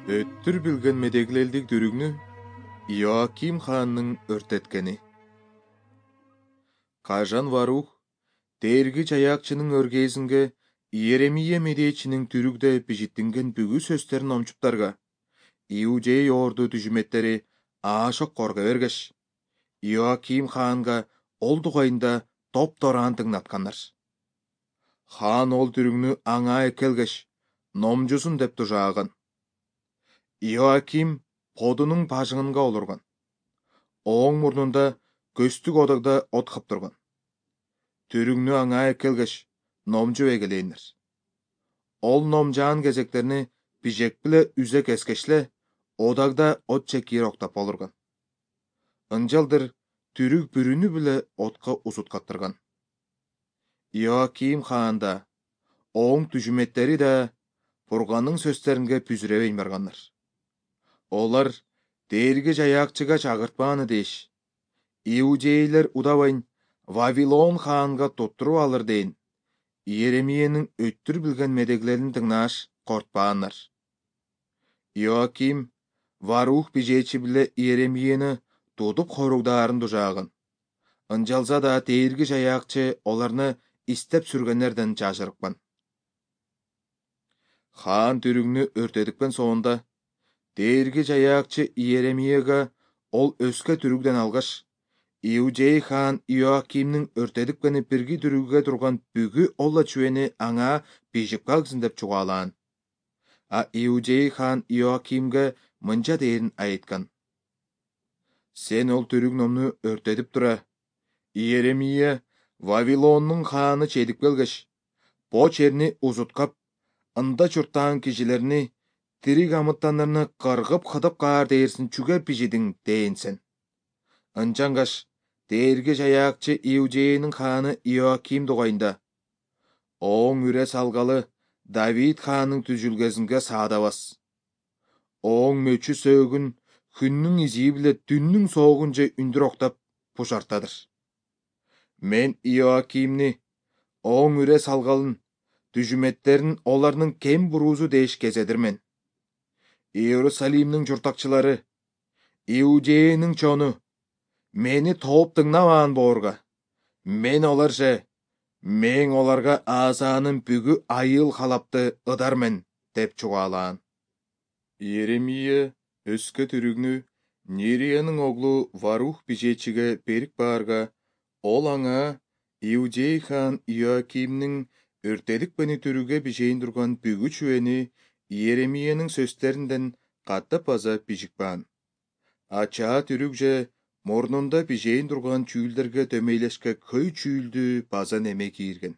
Өттүр билген медеглелдик дүрүгнү Иоаким хаанның өртеткени. Кажан Варух Дээрги Жаякчынын өргезинге Иеремия медечинин түрүгдө бижиттинген бүгү сөздөрүн омчуптарга Иудей орду түжүметтери аашок корго бергеш, Иоаким хаанга ол дугайында топ-тораан тыңнаткандар. Хаан ол түрүгнү аңа экелгеш, номжусун деп тужааган. Иоаким подунун бажыңынга олурган. Оң мурнунда көстүк одогда от каптырган. Түрүгнү аңа экелгеш, номжу эгелейнер. Ол номжаан кезектерини бижек биле үзе кескешле, одагда от чекир октап олурган. Ынжалдыр түрүк бүрүнү биле отко узуткаттырган. Иоаким хаан да, оң түжүметтери да Бурганның сөздөрүнө пүзүребейн баргандар. Олар Дээрги Жаякчыга чагыртпааны деш, Иудейлер удабайн Вавилон хаанга туттуруп алыр дейин, Иеремиянын өттүр билген медеглерин тыңнааш кортпааннар. Иоаким Варух бижечи биле Иеремияны тудуп хоругдаарын тужааган. Ынжалса да Дээрги Жаякчы оларны истеп сүргенерден жашырыкпан. Хаан түрүгнү өртөдүкпен соонда Дээрги Жаякчы Иеремияга ол өскө түрүгден алгаш, Иудей хаан Иоакимдин өртөдүкпени бирги түрүггө турган бүгү олла чүвени аңа бижип калгысын деп чугаалаан. А Иудей хаан Иоакимге мынча дээрин айткан: «Сен ол түрүк номну өртөдүп тура, Иеремия Вавилондун хааны чедип келгеш, бо черни узуткап, ында чуртаан кишилерини, тирик амыттандарны кыргып кыдып каар дээрсин чүге бижидиң дейинсен. Ынчангаш Дээрги Жаякчы Иудеянын хааны Иоаким дугайында: Оң үре салгалы Давид хаанын түзүлгесинге саадабас. Оң мөчү сөөгүн күндүн изии биле түндүн соогунча үндүр октап бушартадыр. Мен Иоакимни, оң үре салгалын, түжүметтерин олардын кем буруусу деш кезедирмен. Иерусалимдин журтакчылары, Иудеянын чону, мени тооп тыңнабаан боорга, мен оларга Азанын бүгү айыл халапты ыдармен деп чугаалаан. Иеремия өскө түрүгнү Нерияның оглу Варух бижечиге берип баарга, ол аңа Иудей хаан Иоакимдин өртөдүкпени түрүгө бижейин турган бүгү чүвени Иеремиянын сөздөрүндөн каттап база бижик баан. Ачаа түрүк же мурнунда бижейин турган чүүлдерге дөмейлешке көй чүүлдү база неме кийирген.